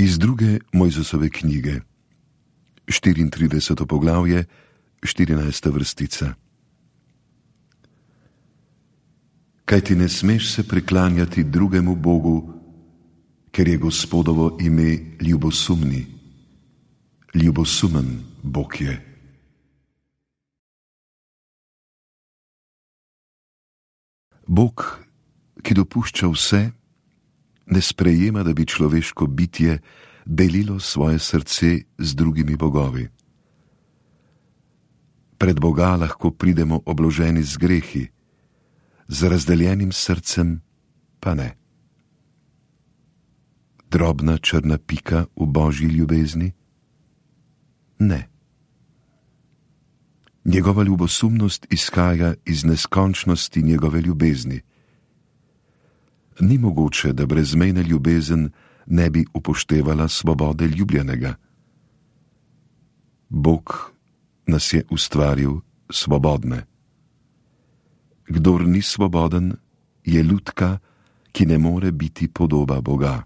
Iz druge Mojzesove knjige, 34. poglavje, 14. vrstica. Kajti ne smeš se priklanjati drugemu Bogu, ker je Gospodovo ime ljubosumni. Ljubosumen Bog je. Bog, ki dopušča vse, ne sprejema, da bi človeško bitje delilo svoje srce z drugimi bogovi. Pred Boga lahko pridemo obloženi z grehi, z razdeljenim srcem pa ne. Drobna črna pika v Božji ljubezni? Ne. Njegova ljubosumnost izhaja iz neskončnosti njegove ljubezni. Ni mogoče, da brezmejna ljubezen ne bi upoštevala svobode ljubljenega. Bog nas je ustvaril svobodne. Kdor ni svoboden, je lutka, ki ne more biti podoba Boga.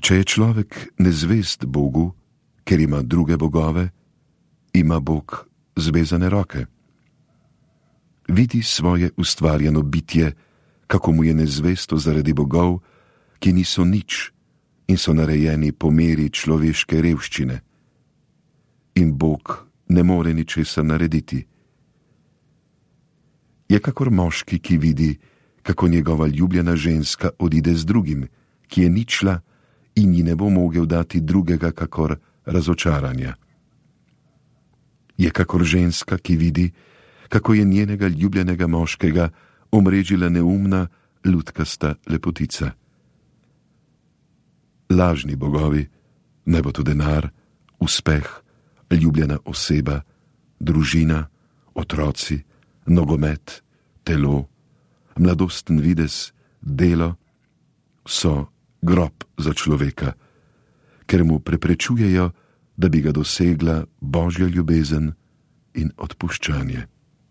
Če je človek nezvest Bogu, ker ima druge bogove, ima Bog zvezane roke. Vidi svoje ustvarjeno bitje, kako mu je nezvesto zaradi bogov, ki niso nič in so narejeni po meri človeške revščine. In Bog ne more ničesar narediti. Je kakor moški, ki vidi, kako njegova ljubljena ženska odide z drugim, ki je ničla in ji ne bo mogel dati drugega kakor razočaranja. Je kakor ženska, ki vidi, kako je njenega ljubljenega moškega omrežila neumna, lutkasta lepotica. Lažni bogovi, naj bo to denar, uspeh, ljubljena oseba, družina, otroci, nogomet, telo, mladosten videz, delo, so grob za človeka, ker mu preprečujejo, da bi ga dosegla Božja ljubezen in odpuščanje.